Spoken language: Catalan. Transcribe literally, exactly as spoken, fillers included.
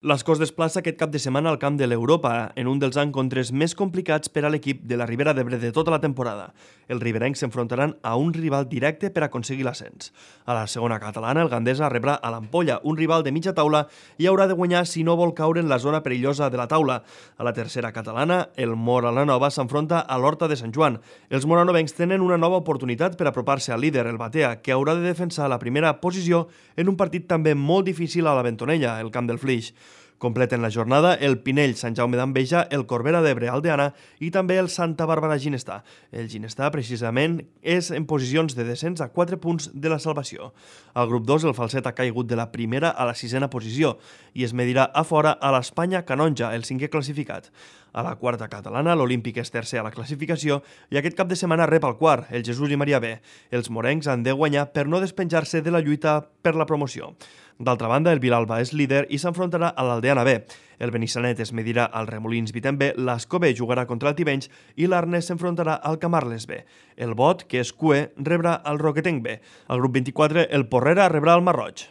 L'Escós desplaça aquest cap de setmana al camp de l'Europa, en un dels encontres més complicats per a l'equip de la Ribera d'Ebre de tota la temporada. Els riberencs s'enfrontaran a un rival directe per aconseguir l'ascens. A la segona catalana, el Gandesa rebrà a l'Ampolla, un rival de mitja taula, i haurà de guanyar si no vol caure en la zona perillosa de la taula. A la tercera catalana, el Mora la Nova s'enfronta a l'Horta de Sant Joan. Els moranovencs tenen una nova oportunitat per apropar-se al líder, el Batea, que haurà de defensar la primera posició en un partit també molt difícil a la Bentonella, el camp del Flix. Completen la jornada el Pinell, Sant Jaume d'Enveja, el Corbera d'Ebre, Aldeana i també el Santa Bàrbara Ginestà. El Ginestà, precisament, és en posicions de descens a quatre punts de la salvació. Al grup dos, el Falset ha caigut de la primera a la sisena posició i es medirà a fora a l'Espanya Canonja, el cinquè classificat. A la quarta catalana, l'Olímpic és tercer a la classificació i aquest cap de setmana rep el quart, el Jesús i Maria B. Els morencs han de guanyar per no despenjar-se de la lluita per la promoció. D'altra banda, el Vilalba és líder i s'enfrontarà a l'Aldeana B. El Benissanet es medirà al Remolins Vitem B, l'Ascó B jugarà contra el Tivenys i l'Arnes s'enfrontarà al Camarles B. El Bot, que és Cue, rebrà el Roquetenc B. Al grup vint-i-quatre, el Porrera rebrà el Marroig.